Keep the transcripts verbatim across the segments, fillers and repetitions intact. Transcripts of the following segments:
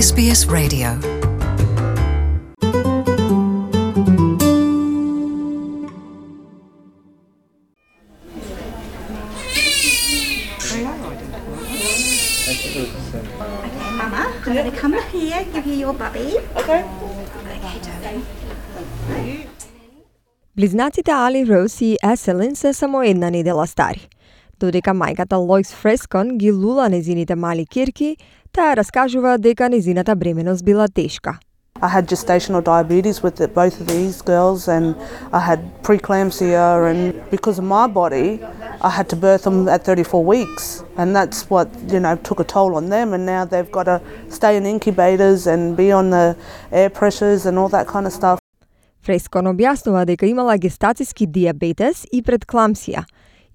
S B S Radio. Mama, I'm going to come here, give you your bubby. Okay. Okay, darling. Близнаците Али, Роуз и Еселин се само една недела стари. Додека мајката Лоис Фрескон ги лула незините мали кирки, таа раскажува дека незината бременост била тешка. I had gestational diabetes with the, both of these girls, and I had preeclampsia, and because of my body, I had to birth them at thirty-four weeks, and that's what, you know, took a toll on them, and now they've got to stay in incubators and be on the air pressures and all that kind of stuff. Фрескон објаснува дека имала гестацијски диабетес и предкламсија,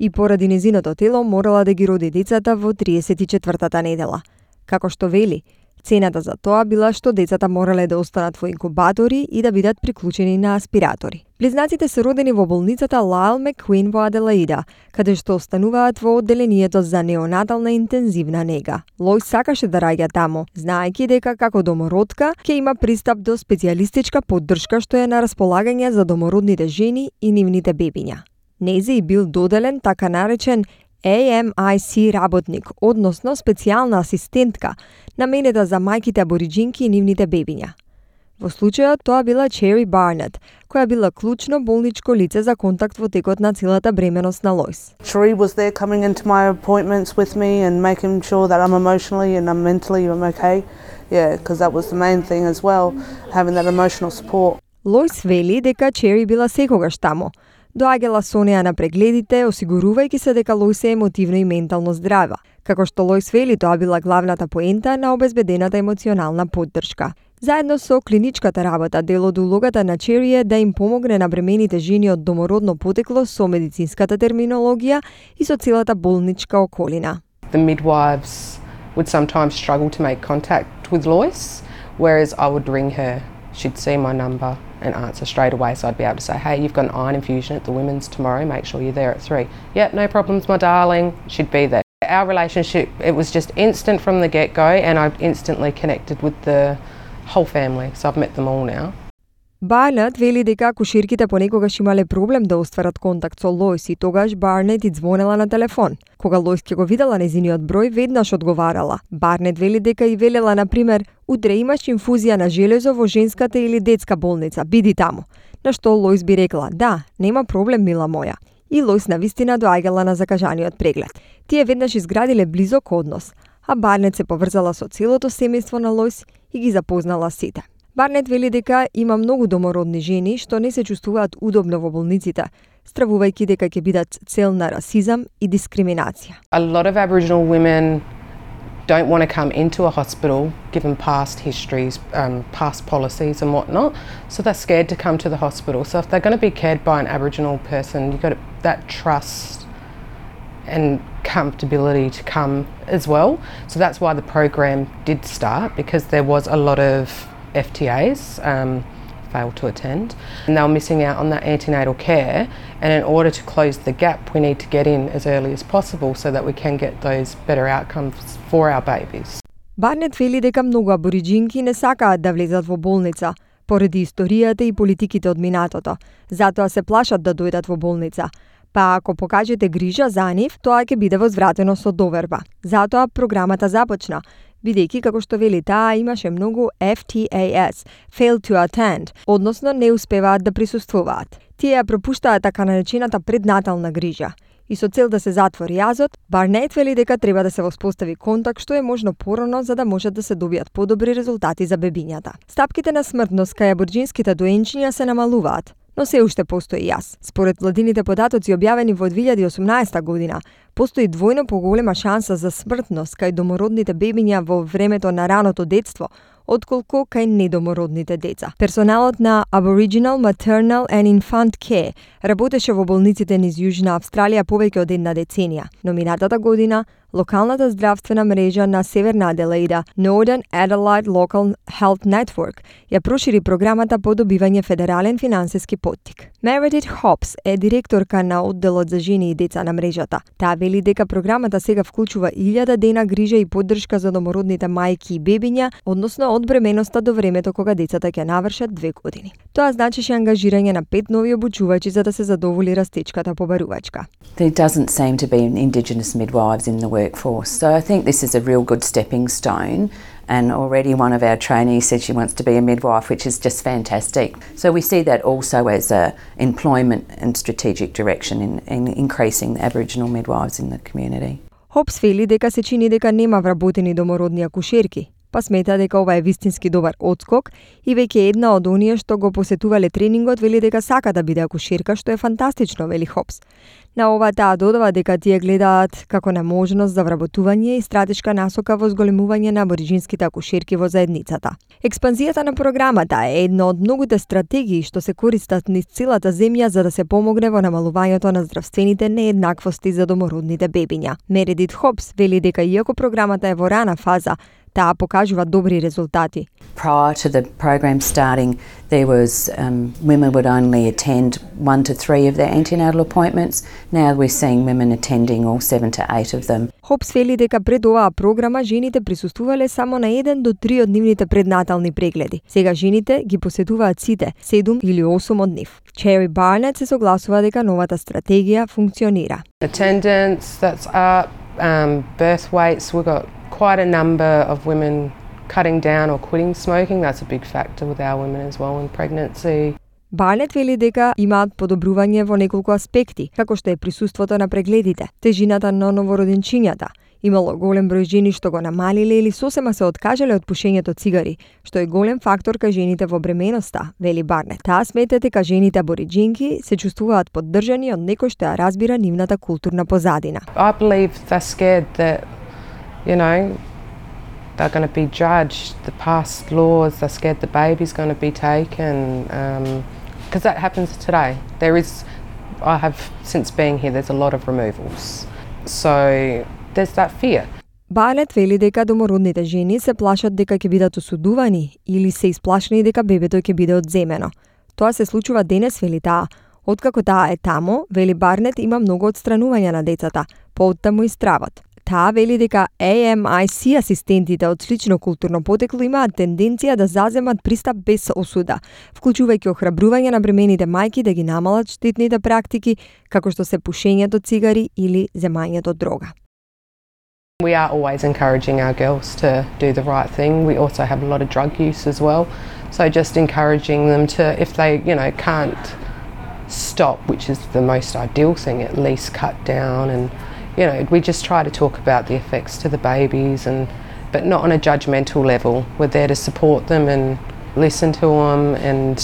и поради незиното тело морала да ги роди децата во триесет и четвртата недела. Како што вели, цената за тоа била што децата морале да останат во инкубатори и да бидат приклучени на аспиратори. Близнаците се родени во болницата Лайл Маккуин во Аделаида, каде што остануваат во одделението за неонатална интензивна нега. Лоис сакаше да раѓа таму, знаејќи дека како домородка ќе има пристап до специјалистичка поддршка што е на располагање за домородните жени и нивните бебиња. Незе и бил доделен така наречен A M I C работник, односно специјална асистентка, наменета за мајките абориџинки и нивните бебиња. Во случајот тоа била Чери Барнет, која била клучно болничко лице за контакт во текот на целата бременост на Лоис. Cherie was there coming into my appointments with me and making sure that I'm emotionally and I'm mentally I'm okay. Yeah, because that was the main thing as well, having that emotional support. Лоис вели дека Чери била секогаш таму. Доаѓала со неа на прегледите, осигурувајќи се дека Лоис е емотивно и ментално здрава. Како што Лоис вели, тоа била главната поента на обезбедената емоционална поддршка. Заедно со клиничката работа, дел од улогата на Чери е да им помогне на бремените жени од домородно потекло со медицинската терминологија и со целата болничка околина. The midwives would sometimes struggle to make contact with Lois, whereas I would ring her. She'd see my number and answer straight away, so I'd be able to say, hey, you've got an iron infusion at the women's tomorrow, make sure you're there at three. Yep, no problems, my darling. She'd be there. Our relationship, it was just instant from the get-go, and I instantly connected with the whole family, so I've met them all now. Барнет вели дека куширките понекогаш имале проблем да остварат контакт со Лоис и тогаш Барнет и звонела на телефон. Кога Лоис ќе го видела незиниот број, веднаш одговарала. Барнет вели дека и велела, на пример, утре имаш инфузија на железо во женската или детска болница, биди таму. На што Лоис би рекла, да, нема проблем, мила моја. И Лоис навистина доаѓала на закажаниот преглед. Тие веднаш изградиле близок однос, а Барнет се поврзала со целото семејство на Лоис и ги запознала сите. Барнет вели дека има многу домородни жени што не се чувствуваат удобно во болниците, стравувајќи дека ќе бидат цел на расизам и дискриминација. A lot of Aboriginal women don't want to come into a hospital given past histories, um, past policies and whatnot, so they're scared to come to the hospital. So if they're going to be cared by an Aboriginal person, you've got that trust and comfortability to come as well. So that's why the program did start, because there was a lot of F T As um, failed to attend, and they were missing out on that antenatal care, and in order to close the gap we need to get in as early as possible so that we can get those better outcomes for our babies. Барнет вели дека многу абориџинки не сакаат да влезат во болница поради историјата и политиките од минатото, затоа се плашат да дојдат во болница. Па ако покажете грижа за нив, тоа ќе биде возвратено со доверба. Затоа програмата започна, бидејќи, како што вели таа, имаше многу F T As, failed to attend, односно не успеваат да присуствуваат. Тие ја пропуштаат така наречената преднатална грижа. И со цел да се затвори јазот, Барнет вели дека треба да се воспостави контакт што е можно порано за да можат да се добијат подобри резултати за бебињата. Стапките на смртност кај абориџинските доенчиња се намалуваат, но се уште постои јас. Според владините податоци објавени во две илјади и осумнаесета година, постои двојно поголема шанса за смртност кај домородните бебиња во времето на раното детство, отколку кај недомородните деца. Персоналот на Aboriginal Maternal and Infant Care работеше во болниците низ Јужна Австралија повеќе од една деценија, но минатата година локалната здравствена мрежа на Северна Аделаида, Northern Adelaide Local Health Network, ја прошири програмата по добивање федерален финансиски поттик. Meredith Hobbs е директорка на одделот за жени и деца на мрежата. Таа вели дека програмата сега вклучува илјада дена грижа и поддршка за домородните мајки и бебиња, односно од бременоста до времето кога децата ќе навршат две години. Тоа значеше ангажирање на пет нови обучувачи за да се задоволи растечката побарувачка. There doesn't seem to be Indigenous midwives in the workforce, so I think this is a real good stepping stone. And already one of our trainees said she wants to be a midwife, which is just fantastic. So we see that also as a employment and strategic direction in, in increasing the Aboriginal midwives in the community. Хопс вели дека се чини дека нема вработени домородни акушерки, па смета дека ова е вистински добар отскок и веќе една од оние што го посетувале тренингот вели дека сака да биде акушерка, што е фантастично, вели Хопс. На ова таа додава дека тие гледаат како на можност за вработување и стратешка насока во зголемување на абориџинските акушерки во заедницата. Експанзијата на програмата е една од многуте стратегии што се користат низ целата земја за да се помогне во намалувањето на здравствените нееднаквости за домородните бебиња. Мередит Хопс вели дека иако програмата е во рана фаза, таа покажува добри резултати. Prior to the program starting, there was um, women would only attend one to three of their antenatal appointments. Now we're seeing women attending all seven to eight of them. Хопс вели дека пред оваа програма жените присуствувале само на еден до три од нивните преднатални прегледи. Сега жените ги посетуваат сите, седум или осум од нив. Чери Барнет се согласува дека новата стратегија функционира. Attendance, that's up, um, birth weights, we've got quite a number of women cutting down or quitting smoking. That's a big factor with our women as well in pregnancy. Барнет вели дека имаат подобрување во неколку аспекти, како што е присуството на прегледите, тежината на новороденчињата. Имало голем број жени што го намалиле или сосема се откажале од пушењето цигари, што е голем фактор кај жените во бременоста, вели Барнет. Таа смета дека жените абориџинки се чувствуваат поддржани од некој што ја разбира нивната културна позадина. I believe they're scared that, you know, they're going to be judged, the past laws, they're scared the baby's going to be taken, because um, that happens today. There is, I have, since being here, there's a lot of removals. So there's that fear. Барнет вели дека домородните жени се плашат дека ќе бидат осудувани или се исплашени дека бебето ќе биде одземено. Тоа се случува денес, вели таа. Откако таа е тамо, вели Барнет, има многу отстранување на децата, пооттаму и стравот. Таа вели дека A M I C асистентите од слично културно потекло имаат тенденција да заземат пристап без осуда, вклучувајќи охрабрување на бремените мајки да ги намалат штетните практики, како што се пушењето цигари или земањето дрога. We are always encouraging our girls to do the right thing. We also have a lot of drug use as well. So just encouraging them to, if they, you know, can't stop, which is the most ideal thing, at least cut down. And, you know, we just try to talk about the effects to the babies, and but not on a judgmental level. We're there to support them and listen to them, and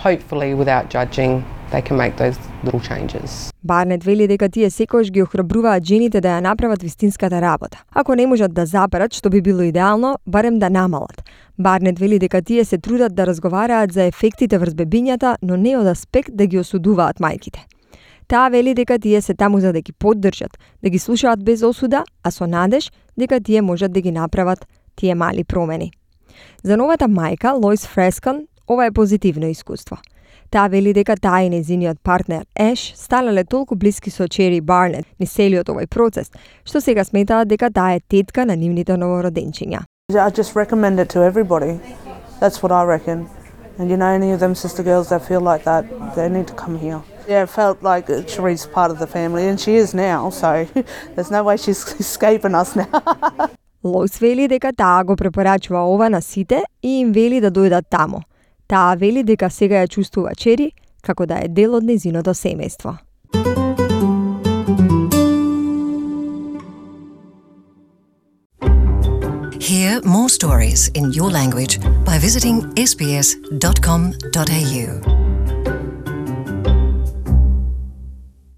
hopefully without judging, they can make those little changes. Барнет вели дека тие секогаш ги охрабруваат жените да ја направат вистинската работа. Ако не можат да заберат, што би било идеално, барем да намалат. Барнет вели дека тие се трудат да разговараат за ефектите врз бебињата, но не од аспект да ги осудуваат мајките. Таа вели дека тие се таму за да ги поддржат, да ги слушаат без осуда, а со надеж дека тие можат да ги направат тие мали промени. За новата мајка, Лоис Фрескан, ова е позитивно искуство. Таа вели дека таа и нејзиниот партнер Еш станале толку блиски со Чери Барнет низ целиот овој процес, што сега сметаат дека таа е тетка на нивните новороденчиња. I just recommend it to everybody. That's what I reckon. And you know, any of them sister girls that feel like that, they need to come here. Yeah, it felt like Cherie's part of the family, and she is now, so there's no way she's escaping us now. Лоис вели дека таа го препорачува ова на сите и им вели да дојдат тамо. Таа вели дека сега ја чувствува Чери како да е дел од нејзиното семејство. Hear more stories in your language by visiting s b s dot com dot a u.